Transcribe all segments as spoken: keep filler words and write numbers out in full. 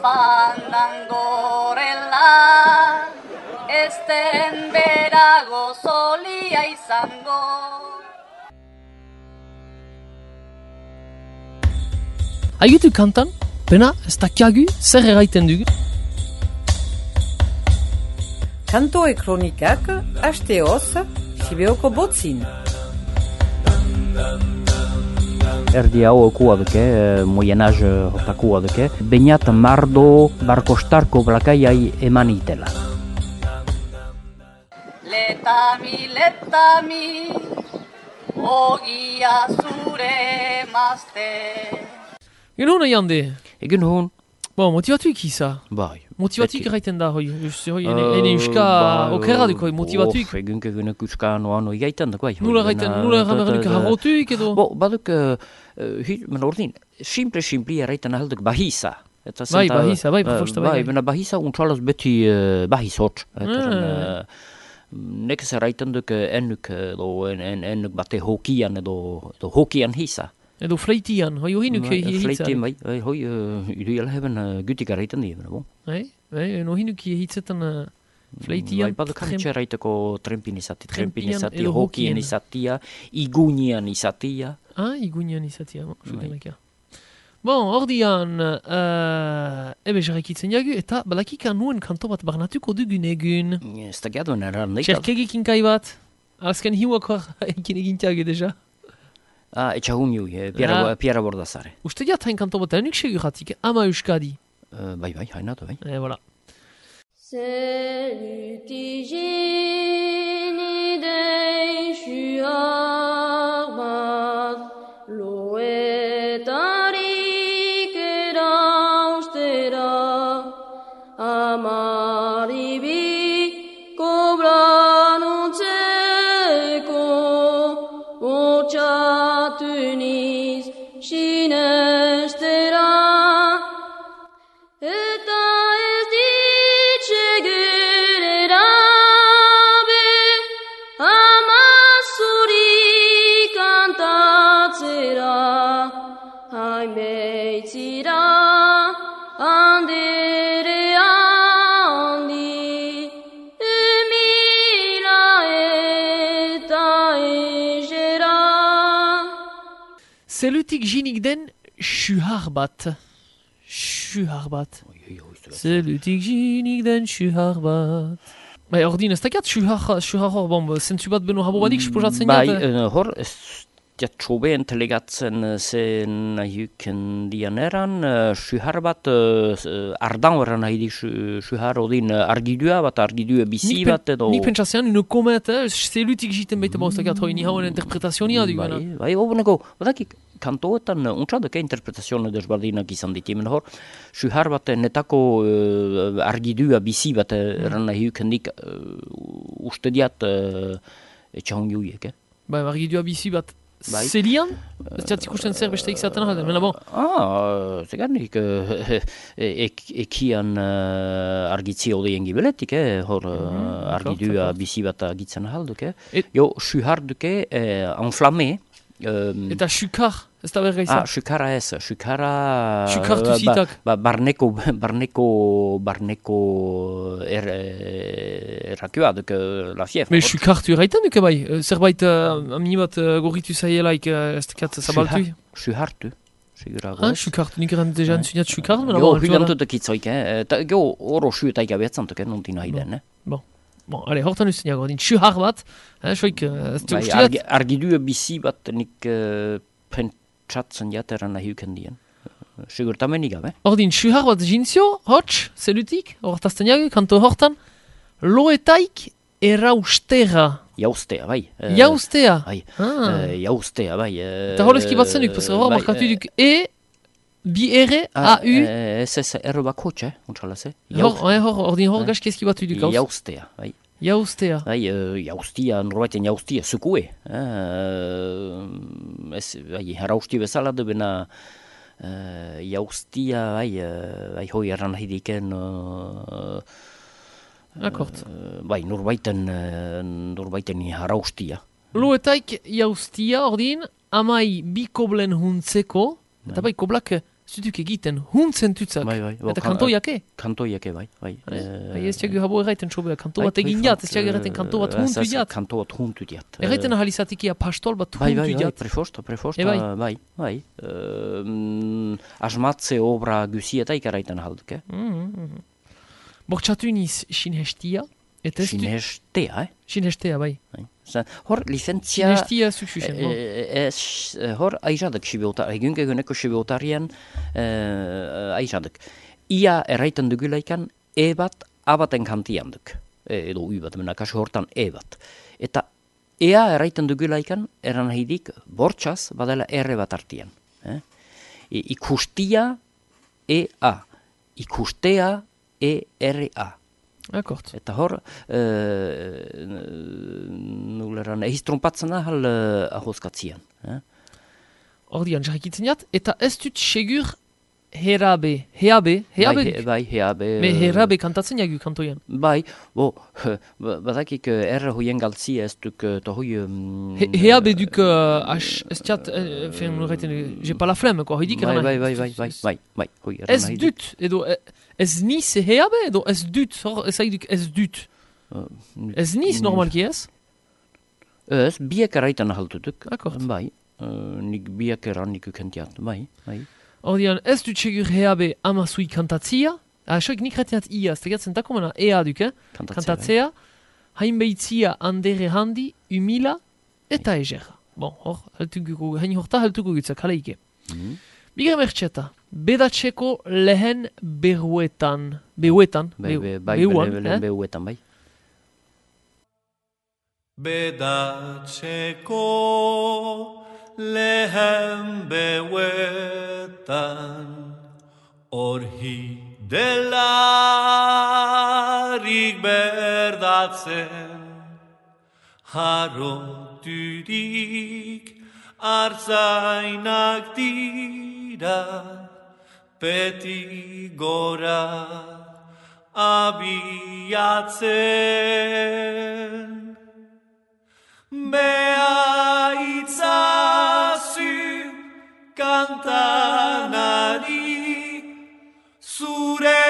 Fandangorela, esten berago solia izango. Aigutu kantan, pena, ez dakiagu, zer eraiten dugu? Kantoe kronikak, hasteoz, Sibeoko botzin. Erdi hau okua duke, Moyen Âge hortakua duke, bainat mardo barkostarko blakaiai eman itela. Letami, letami, ogia zure mazte. Egun hona jande? Egun hon? Bon, motivatuik iza? Bai. Motivatuik eraiten da, hoi, hoi, ene euska okerra duk, hoi, motivatuik? Of, egun kegunek euska noa noi gaitan duk, bai. Nula eraiten, nula eraiten harrotuik edo? Bo, baduk, men ordin, simple-simple eraiten ahalduk bahisa. Bai, bahisa, bai, profosta bai. Bai, bena bahisa untxalaz beti bahis hotx. Nekez eraiten duk ennuk, ennuk bate hokian edo hokian hisa. Edo fleitian, hoi hinuk hitzaren. Fleitian, bai, hoi iduela heben gutik eraiten dira, bon. Bai, bai, no hinuk hitzetan fleitian. Bai, baduk hanitxe eraiteko trempin izati, trempin izati, hokien izatia, igunian izatia. Ah, igunian izatia, bon, sukenakia. Bon, ordian, ebe jarrekitzen jagu, eta balakika nuen kanto bat barnatuko dugun egun. Ez da gaduen eran, neikal. Txerkegik inkai bat, azken hiuakor ekin egintiage deja. Ah, etxagun jui, Piera Bordazare. Uste diat hain kanto bat enik seguratik, ama euskadi. Bai, bai, hainatu, bai. E, voilà. Zelutigini deixu arbat, loetarik eraustera, amaribi kobranutzeko, otxatuniz sinestera, eta ez ditxegerera be, amazuri kantatzera, hainbeitzira, handere handi, emila eta egera. Zelutik jinik den suhar bat. Suhar bat. Zelutik jinik den suhar bat. Bai, ordin, ez dakiat suhar, suhar hor, bon, zentzu bat beno habo badik, suposatzen Bai, jat? hor, ez jatxobe entelegatzen zen nahiuken dianeran, suhar bat, ardan horren nahi dik suhar odin argidua bat, argidua bizi bat edo... Nik pentsatzean, une komet, zelutik jiten baita ba, ez dakiat hoi, ni hauen interpretazionia dugu. Bai, bai, oboneko, badakik, kantoetan untxadeke interpretazioa desbardinak izan ditimen hor, suhar bat netako uh, argidua bizi bat erran nahi ukendik uh, uste diat uh, etxahon juiek, eh? Bai, argidua bizi bat Bai. zelian? Ez jat ikusten zer beste izaten alde, mena bon. Ah, zegarnik, uh, ek, ekian uh, argitzi odien gibeletik, eh? Hor uh, argidua bizi bat agitzen ahalduk, eh? Et... Jo, suhar duke, eh, enflamme, Um, eta xukar, ez da berga izan? Ah, xukara ez, xukara... Xukartu zitak. Ba, barneko, barneko, barneko er, errakioa duk la fief. Me xukartu erraiten duke bai, zerbait uh, amini bat uh, gorritu zaielaik uh, ez tekat zabaltu? Xuhartu. Ah, xukartu, nik erran deja entzuniat xukartu? Jo, hulantu dekitzoik, eh? Jo, oro xuetaik abeatzen duke, nontin haiden, eh? Bon. Bon, ale, hortan usten jago, din suhar bat, eh, soik, ez du uste dat? Argidua bizi bat nik uh, pentsatzen jateran nahi uken dien. Sigurtamen igabe. Ordin, suhar bat jintzio, hotx, zelutik, hortazten jago, kanto hortan, loetaik eraustera. Jaustea, bai. Uh, jaustea? Bai, ah. uh, jaustea, bai. Uh, Eta horrezki bat zenuk, pasera hor, markatu duk E, bi ere, A, U. Ez ez, erro bako txe, untxalaz, eh? Hor, hor, ordin hor gaski ezki batu duk hauz. Jaustea, bai. Jaustea. Bai, uh, jaustia, norbaiten jaustia, zukue. Uh, ez, bai, harausti bezala du bena uh, jaustia, bai, uh, bai, hoi erran nahi diken... Uh, Akort. Uh, bai, norbaiten, uh, norbaiten haraustia. Loetaik jaustia, ordin, amai bi koblen huntzeko, eta bai, koblak zutuk egiten huntzen tutzak. Bai, bai. Eta kantoiake. Kantoiake, bai. Bai, Bai, ez txagu habo erraiten sobea, kanto bat egin jat, ez txagu erraiten kanto bat huntu jat. Kanto bat huntu jat. Erraiten ahalizatikia pastol bat Bai, bai, huntu bai, jat. prefosta, prefosta, E bai. bai, bai. Uh, asmatze obra gusietaik erraiten halduk, eh? Bortxatu iniz sinhestia, eta ez du... Sinhestea, eh? Sinhestea, bai. Bai. Zan, hor, licentzia... Sinhestia suksusen, no? Ez, hor, aizadak sibeotar, egun eguneko sibeotarien uh, aizadak. Ia erraiten dugulaikan, e bat, abaten kantian duk. E, edo u bat, mena kasu hortan e bat. Eta ea erraiten dugulaikan, eran haidik, bortxaz, badela erre bat artian. Eh? I, ikustia, e a. Ikustea, e r a. Akort. Eta hor, e, nuleran, ehiz trompatzen ahal uh, ahoskatzian. Eh? Ordian, jarrikitzen jat, eta ez dut segur herabe, heabe, heabe Bai, duk. he, bai, heabe... Me herabe kantatzen jagu kantoian. Bai, bo, badakik erre hoien galtzi ez duk tohui... Um, He, heabe duk, uh, as, ez txat, uh, fen, nurreiten, j'ai pas la flemme, quoi, hoidik bai, eran bai, nahi. bai, bai, bai, bai, bai, hoi, eran Ez nahi dut, edo, eh, ez niz heabe, edo ez dut, hor, ez haiduk ez dut. Uh, Ez niz normalki ez? Ez, biak erraitan ahaltutuk. Akort. Bai, uh, nik biak eran nik ukentiat, bai, bai. Ordian, ez dut segur heabe amazui kantatzia, asoik nik retiat ia, ez tegatzen takomena ea duk, eh? Kantatzea, Kantatzea, hainbeitzia andere handi, humila, eta egerra. Bon, hor, haltuko, hain horta haltuko gutzak, haleike. Mhm. Bigar mertxeta, bedatzeko lehen beruetan, beuetan, Be, be, bai, beuan, bele, eh? bele, beuetan, bai. Bedatzeko lehen beuetan orhi delarik berdatzen haroturik artzainak dira beti gora abiatzen. Bea itzazu kantanari zure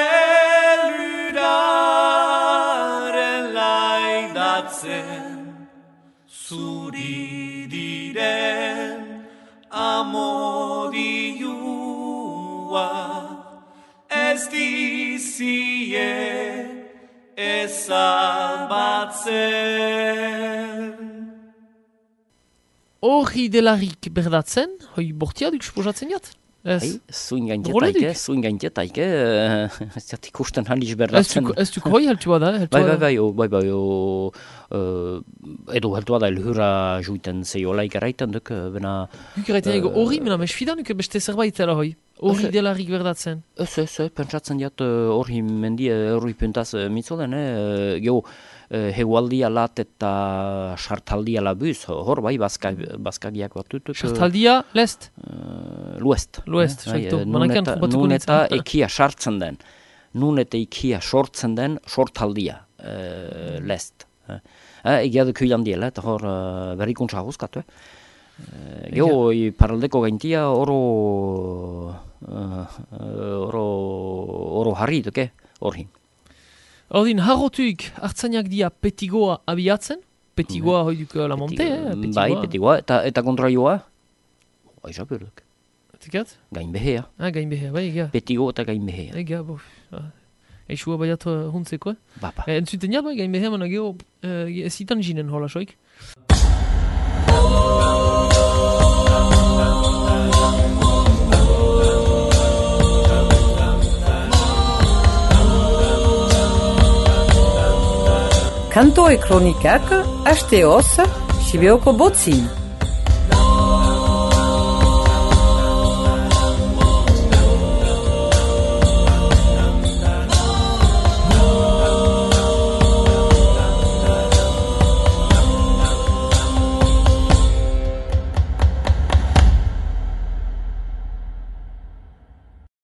luraren laidatzen zuri diren amodiua ez dizie ezabatzen. Horri delarik berdatzen, hoi bortia duk suposatzen jat? Ez, Hai, zuin Roledik. gaintetaike, zuin gaintetaike, ez jat ikusten handiz ez berdatzen. duk, ez duk hoi heltua da, heltua Bai, bai, da. bai, o, bai, bai, o, uh, edo heltua da elhura juiten zeiolaik erraiten duk, bena... Duk erraiten ego horri, mena mesfida nuke beste zerbait zela hoi. Horri Ez- delarik berdatzen. Ez, ez, ez, pentsatzen jat hori uh, mendi, hori puntaz uh, mitzolen, eh, geho, uh, hegualdia lat eta sartaldia labuz, hor bai, bazka, bazkagiak batutuk. Sartaldia, lest? Uh, luest. Luest, Eh, saito. bai, Manakean nun eta- trupatuko nun eta nintzen. ekia sartzen den. Nun eta ekia sortzen den sortaldia, uh, lest. Eh, eh, egia duk hilan diela, eta hor uh, berrikuntza hauskatu, eh. Uh, Geho, i paraldeko gaintia oro, uh, oro, oro harri duke, horri. Ordin, harrotuik hartzainak dia petigoa abiatzen, petigoa hoi duk la monte, eh? Petigoa. Bai, petigoa, eta, eta kontraioa, aiza berduk, Tikat? gain behea, Ah, gain behea, bai, ega. petigo eta gain behea. Ega, bof. Ah. Eixua baiat uh, huntzeko, eh? Bapa. Eh, entzuten jat, bai, gain behea, mana geho, uh, ez itan jinen hola soik. Kantoe kronikak, asteoz, Sibeoko botzin.